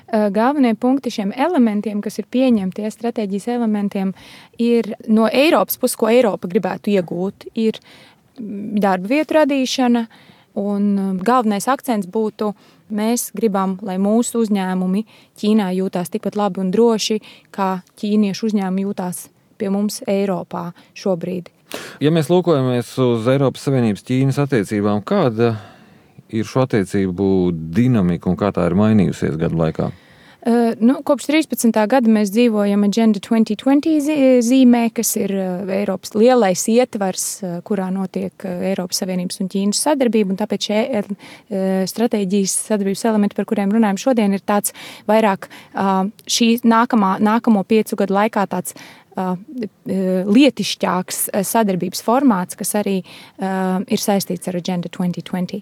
galvenie punkti šiem elementiem, kas ir pieņemti, stratēģijas elementiem, ir no Eiropas puses, ko Eiropa gribētu iegūt, ir darba vietu radīšana, un galvenais akcents būtu, mēs gribam, lai mūsu uzņēmumi Ķīnā jūtās tikpat labi un droši, kā ķīniešu uzņēmumi jūtās pie mums Eiropā šobrīd. Ja mēs lūkojamies uz Eiropas Savienības Ķīnas attiecībām, kāda ir šo attiecību dinamika un kā tā ir mainījusies gadu laikā? Kopš 13. gada mēs dzīvojam Agenda 2020 zīmē, kas ir Eiropas lielais ietvars, kurā notiek Eiropas Savienības un Ķīnas sadarbība, un tāpēc šie stratēģijas sadarbības elementi, par kuriem runājam šodien, ir tāds vairāk šī nākamo 5 gadu laikā tāds lietišķāks sadarbības formāts, kas arī ir saistīts ar Agenda 2020.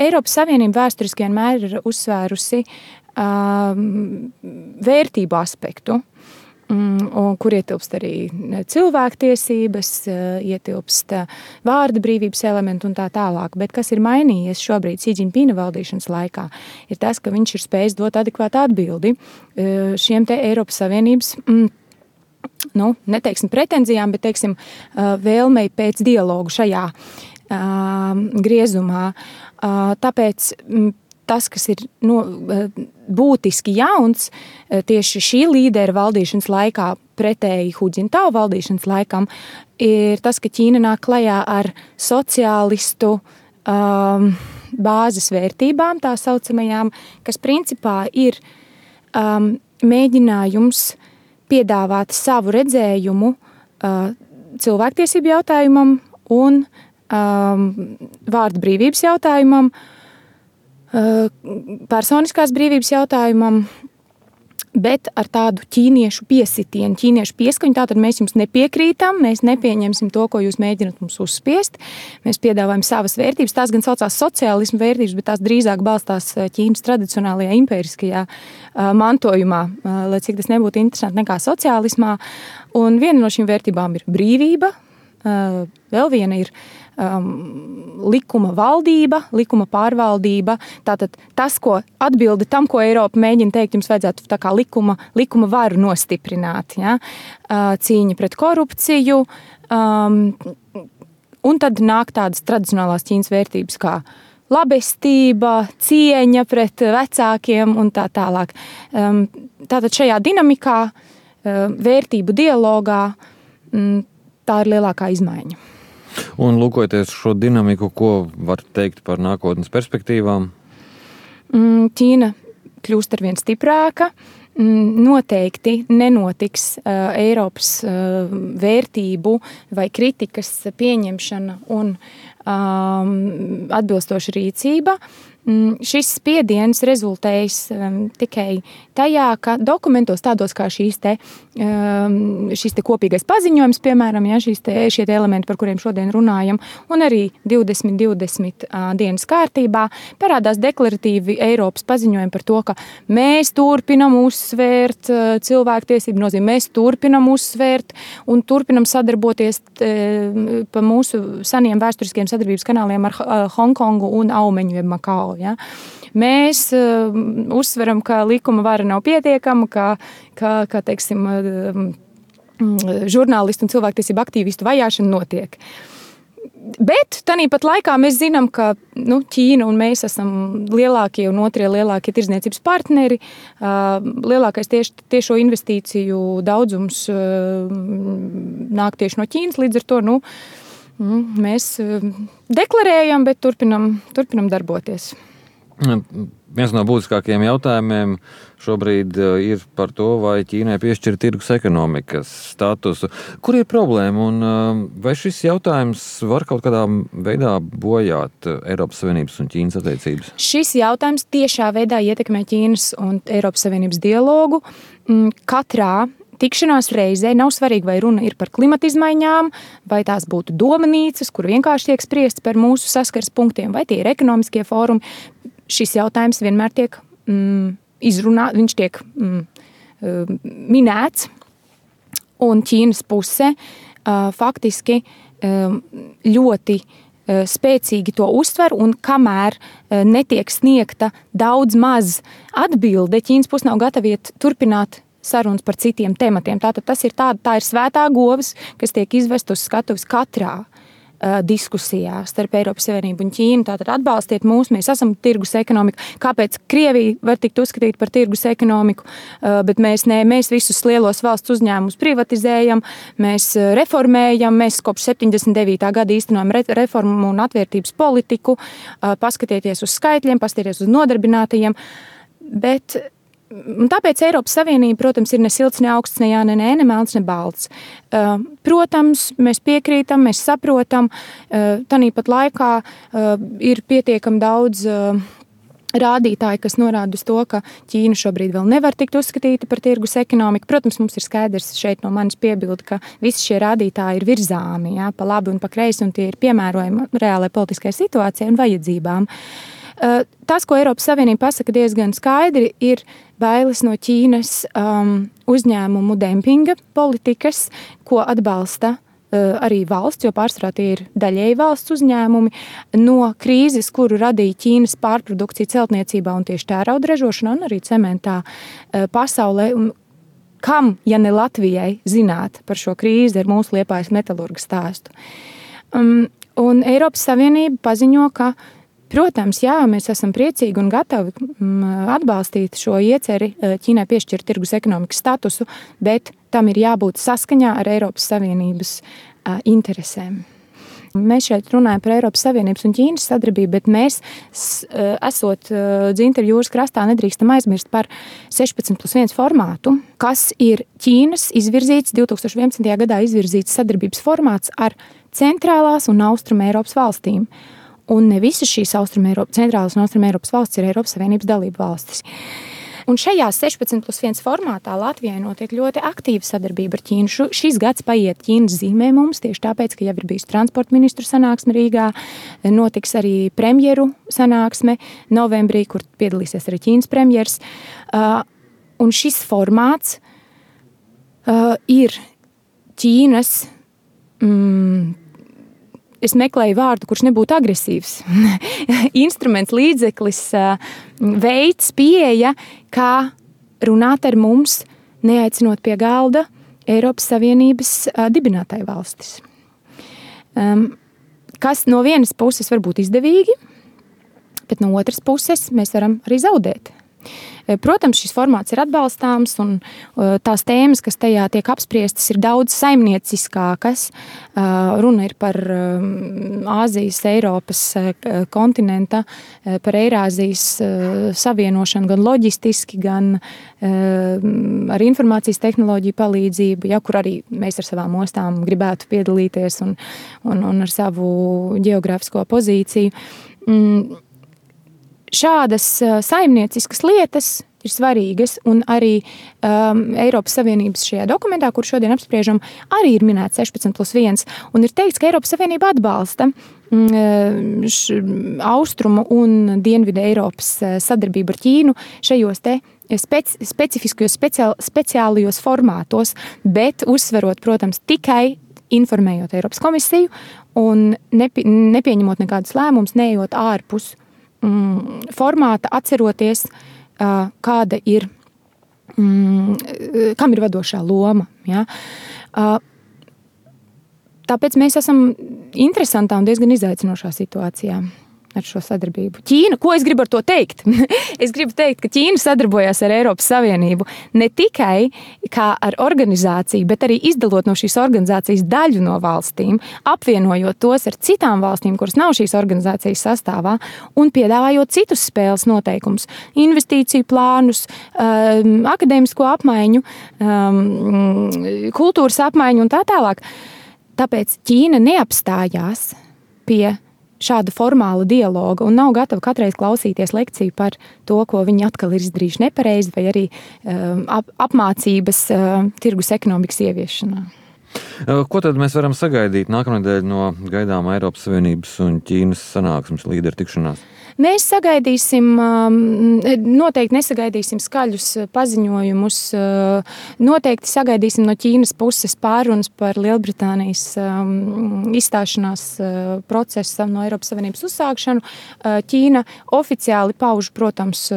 Eiropas Savienība vēsturiski vienmēr ir uzsvērusi vērtību aspektu, kur ietilpst arī cilvēktiesības, ietilpst vārda brīvības elementi un tā tālāk. Bet kas ir mainījies šobrīd Xi Jinpinga valdīšanas laikā, ir tas, ka viņš ir spējis dot adekvātu atbildi šiem te Eiropas Savienības neteiksim pretenzijām, bet teiksim vēlmei pēc dialogu šajā griezumā. Tāpēc tas, kas ir būtiski jauns tieši šī līdera valdīšanas laikā pretēji Hu Jintao valdīšanas laikam, ir tas, ka Ķīna nāk klajā ar sociālistu bāzes vērtībām, tā saucamajām, kas principā ir mēģinājums piedāvāt savu redzējumu cilvēktiesību jautājumam un vārda brīvības jautājumam, personiskās brīvības jautājumam, bet ar tādu ķīniešu piesitienu, ķīniešu pieskaņu. Tātad mēs jums nepiekrītam, mēs nepieņemsim to, ko jūs mēģināt mums uzspiest. Mēs piedāvājam savas vērtības. Tās gan saucās sociālismu vērtības, bet tās drīzāk balstās Ķīnas tradicionālajā impēriskajā mantojumā, lai cik tas nebūtu interesanti nekā sociālismā. Un viena no šīm vērtībām ir brīvība, vēl viena ir likuma valdība, likuma pārvaldība. Tātad tas, ko atbildi tam, ko Eiropa mēģina teikt, jums vajadzētu tā kā likuma varu nostiprināt. Ja? Cīņa pret korupciju. Un tad nāk tādas tradicionālās Ķīnas vērtības kā labestība, cieņa pret vecākiem un tā tālāk. Tātad šajā dinamikā, vērtību dialogā, tā ir lielākā izmaiņa. Un lūkojoties šo dinamiku, ko var teikt par nākotnes perspektīvām? Ķīna kļūst arvien stiprāka. Noteikti nenotiks Eiropas vērtību vai kritikas pieņemšana un atbilstoša rīcība. Šis spiediens rezultējas tikai tajā, ka dokumentos tādos kā šīs te kopīgais paziņojums, piemēram, ja, šie elementi, par kuriem šodien runājam, un arī 2020 dienas kārtībā parādās deklaratīvi Eiropas paziņojumi par to, ka mēs turpinam uzsvērt cilvēktiesību nozīmi, mēs turpinam uzsvērt un turpinam sadarboties pa mūsu seniem vēsturiskiem sadarbības kanāliem ar Hongkongu un Aumeņu jeb Makao. Ja? Mēs uzsveram, ka likuma vara nav pietiekama, ka teiksim, žurnālistu un cilvēktiesību aktīvistu vajāšana notiek. Bet tāpat laikā mēs zinām, ka Ķīna un mēs esam lielākie un otrie lielākie tirdzniecības partneri. Lielākais tiešo investīciju daudzums nāk tieši no Ķīnas, līdz ar to mēs deklarējam, bet turpinam darboties. Viens no būtiskākajiem jautājumiem šobrīd ir par to, vai Ķīnai piešķir tirgus ekonomikas statusu. Kur ir problēma un vai šis jautājums var kaut kādā veidā bojāt Eiropas Savienības un Ķīnas attiecības? Šis jautājums tiešā veidā ietekmē Ķīnas un Eiropas Savienības dialogu. Katrā tikšanās reizē nav svarīgi, vai runa ir par klimata izmaiņām, vai tās būtu domanīcas, kur vienkārši tiek spriests par mūsu saskares punktiem, vai tie ir ekonomiskie fórumi. Šis jautājums vienmēr tiek izrunāts, viņš tiek minēts, un Ķīnas puse faktiski ļoti spēcīgi to uztver, un kamēr netiek sniegta daudz maz atbilde, Ķīnas puse nav gatava turpināt sarunas par citiem tematiem. Tātad tā ir svētā govs, kas tiek izvest uz skatuves katrā diskusijā starp Eiropas Savienību un Ķīnu. Tātad atbalstiet mūs, mēs esam tirgus ekonomika. Kāpēc Krievija var tikt uzskatīt par tirgus ekonomiku, bet mēs visus lielos valsts uzņēmumus privatizējam, mēs reformējam, mēs kopš 79. gada īstenojam reformu un atvērtības politiku, paskatieties uz skaitļiem, paskatieties uz nodarbinātajiem, bet tāpēc Eiropas Savienība, protams, ir ne silts, ne augsts, ne jā, ne melns, ne balts. Protams, mēs piekrītam, mēs saprotam, tanīpat laikā ir pietiekami daudz rādītāji, kas norāda uz to, ka Ķīna šobrīd vēl nevar tikt uzskatīta par tirgus ekonomiku. Protams, mums ir skaidrs šeit no manis piebildi, ka visi šie rādītāji ir virzāmi, jā, pa labi un pa kreisi, un tie ir piemērojami reālai politiskai situācijai un vajadzībām. Tas, ko Eiropas Savienība pasaka diezgan skaidri, ir bailes no Ķīnas uzņēmumu dempinga politikas, ko atbalsta arī valsts, jo pārsvarā tie ir daļēji valsts uzņēmumi, no krīzes, kuru radīja Ķīnas pārprodukcija celtniecībā un tieši tērauda ražošanā un arī cementā pasaulē. Un kam, ja ne Latvijai, zināt par šo krīzi ar mūsu Liepājas metalurga stāstu? Un Eiropas Savienība paziņo, ka protams, jā, mēs esam priecīgi un gatavi atbalstīt šo ieceri Ķīnai piešķirt tirgus ekonomikas statusu, bet tam ir jābūt saskaņā ar Eiropas Savienības interesēm. Mēs šeit runājam par Eiropas Savienības un Ķīnas sadarbību, bet mēs, esot Dzintaru jūras krastā, nedrīkstam aizmirst par 16+1 formātu, kas ir Ķīnas izvirzīts, 2011. gadā izvirzīts sadarbības formāts ar centrālās un austruma Eiropas valstīm. Un ne visas šīs centrālās un austruma Eiropas valstis ir Eiropas Savienības dalību valstis. Un šajā 16+1 formātā Latvijai notiek ļoti aktīva sadarbība ar Ķīnu. Šis gads paiet Ķīnas zīmē mums, tieši tāpēc, ka jau ir bijusi transporta ministru sanāksme Rīgā, notiks arī premjeru sanāksme novembrī, kur piedalīsies arī Ķīnas premjers. Un šis formāts ir Ķīnas es meklēju vārdu, kurš nebūtu agresīvs. Instruments, līdzeklis, veids, pieeja, kā runāt ar mums, neaicinot pie galda Eiropas Savienības dibinātāju valstis. Kas no vienas puses var būt izdevīgi, bet no otras puses mēs varam arī zaudēt. Protams, šis formāts ir atbalstāms un tās tēmas, kas tajā tiek apspriestas, ir daudz saimnieciskākas. Runa ir par Āzijas, Eiropas kontinenta, par Eirāzijas savienošanu gan loģistiski, gan ar informācijas tehnoloģiju palīdzību, ja, kur arī mēs ar savām ostām gribētu piedalīties un ar savu geogrāfisko pozīciju. Šādas saimnieciskas lietas ir svarīgas, un arī Eiropas Savienības šajā dokumentā, kur šodien apspriežam, arī ir minēts 16+1, un ir teikts, ka Eiropas Savienība atbalsta austrumu un dienvidu Eiropas sadarbību ar Ķīnu šajos te specifiskajos, speciālajos formātos, bet uzsverot, protams, tikai informējot Eiropas komisiju un nepieņemot nekādus lēmumus, neejot ārpus formāta, atceroties, kāda ir, kam ir vadošā loma. Ja? Tāpēc mēs esam interesantā un diezgan izaicinošā situācijā ar šo sadarbību. Ķīna, ko es gribu ar to teikt? Es gribu teikt, ka Ķīna sadarbojās ar Eiropas Savienību ne tikai kā ar organizāciju, bet arī izdalot no šīs organizācijas daļu no valstīm, apvienojot tos ar citām valstīm, kuras nav šīs organizācijas sastāvā, un piedāvājot citus spēles noteikumus, investīciju plānus, akadēmisko apmaiņu, kultūras apmaiņu un tā tālāk. Tāpēc Ķīna neapstājās pie šāda formāla dialoga un nav gatava katreiz klausīties lekciju par to, ko viņi atkal ir izdarījuši nepareizi, vai arī apmācības tirgus ekonomikas ieviešanā. Ko tad mēs varam sagaidīt nākamnedēļ no gaidāmā Eiropas Savienības un Ķīnas sanāksmes līderu tikšanās? Mēs sagaidīsim, noteikti nesagaidīsim skaļus paziņojumus. Noteikti sagaidīsim no Ķīnas puses pārunas par Lielbritānijas izstāšanās procesu no Eiropas Savienības uzsākšanu. Ķīna oficiāli pauž, protams,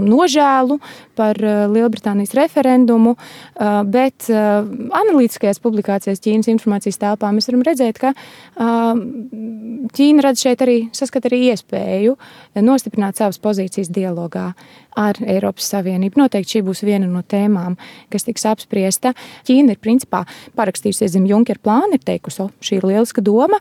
nožēlu par Lielbritānijas referendumu, bet analītiskajās publikācijās Ķīnas informācijas telpā mēs varam redzēt, ka Ķīna redz šeit saskata arī iespēju nostiprināt savas pozīcijas dialogā ar Eiropas Savienību. Noteikti šī būs viena no tēmām, kas tiks apspriesta. Ķīna ir principā parakstījusies zem Junkera plāna, ir teikusi, šī ir lieliska doma.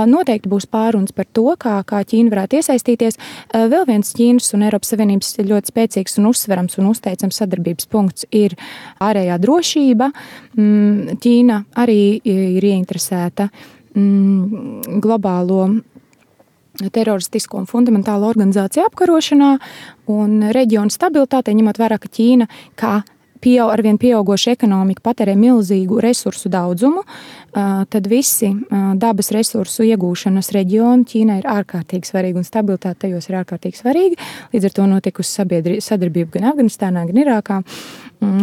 Noteikti būs pārunas par to, kā Ķīna varētu iesaistīties. Vēl viens Ķīnas un Eiropas Savienības ļoti spēcīgs un uzsverams un uzteicams sadarbības punkts ir ārējā drošība. Ķīna arī ir ieinteresēta globālo teroristisko un fundamentālo organizāciju apkarošanā un reģionu stabilitātei, ņemot vērā, ka Ķīna kā arvien pieaugoša ekonomika patērē milzīgu resursu daudzumu, tad visi dabas resursu iegūšanas reģioni Ķīnai ir ārkārtīgi svarīgi un stabilitāte tajos ir ārkārtīgi svarīga. Līdz ar to notikusi sadarbība gan Afganistānā, gan Irākā,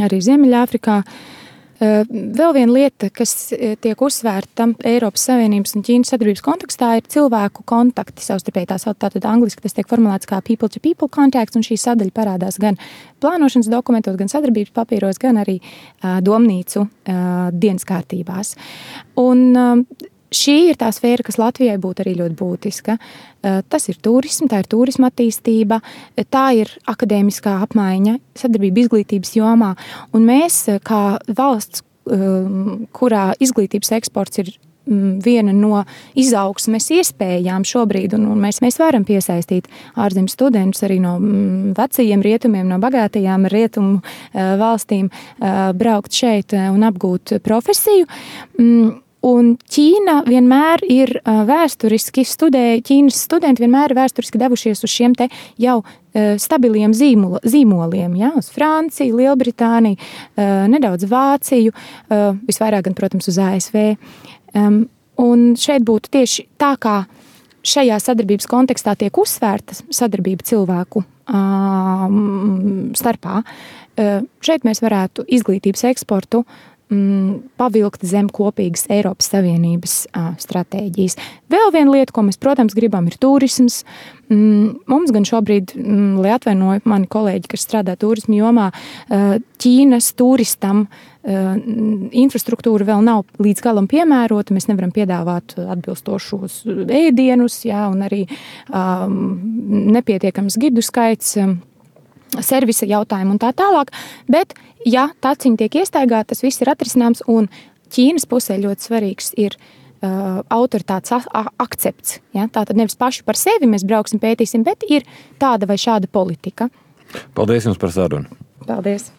arī Ziemeļāfrikā. Vēl viena lieta, kas tiek uzsvērta Eiropas Savienības un Ķīnas sadarbības kontekstā, ir cilvēku kontakti savstarpēji. Tātad angliski tas tiek formulēts kā people-to-people contacts, un šī sadaļa parādās gan plānošanas dokumentos, gan sadarbības papīros, gan arī domnīcu dienas kārtībās. Un šī ir tā sfēra, kas Latvijai būtu arī ļoti būtiska. Tas ir turisma, tā ir turisma attīstība, tā ir akadēmiskā apmaiņa, sadarbība izglītības jomā. Un mēs, kā valsts, kurā izglītības eksports ir viena no izaugsmes iespējām šobrīd, un mēs varam piesaistīt ārzemju studentus arī no vecajiem rietumiem, no bagātajām rietumu valstīm braukt šeit un apgūt profesiju. Un Ķīna vienmēr ir vēsturiski Ķīnas studenti vienmēr ir vēsturiski devušies uz šiem te jau stabiliem zīmoliem, ja, uz Franciju, Lielbritāniju, nedaudz Vāciju, visvairāk gan, protams, uz ASV. Un šeit būtu tieši tā, kā šajā sadarbības kontekstā tiek uzsvērta sadarbība cilvēku starpā. Šeit mēs varētu izglītības eksportu pavilkt zem kopīgas Eiropas Savienības stratēģijas. Vēl viena lieta, ko mēs, protams, gribam, ir turisms. Mums gan šobrīd, lai atvainoju mani kolēģi, kas strādā turismu jomā, Ķīnas turistam infrastruktūra vēl nav līdz galam piemērota. Mēs nevaram piedāvāt atbilstošos ēdienus, jā, un arī nepietiekams gidu skaits, servisa jautājumu un tā tālāk, bet, ja taciņi tiek iestaigāti, tas viss ir atrisināms, un Ķīnas pusē ļoti svarīgs ir autoritātes akcepts. Ja? Tātad nevis paši par sevi mēs brauksim, pētīsim, bet ir tāda vai šāda politika. Paldies jums par sarunu. Paldies.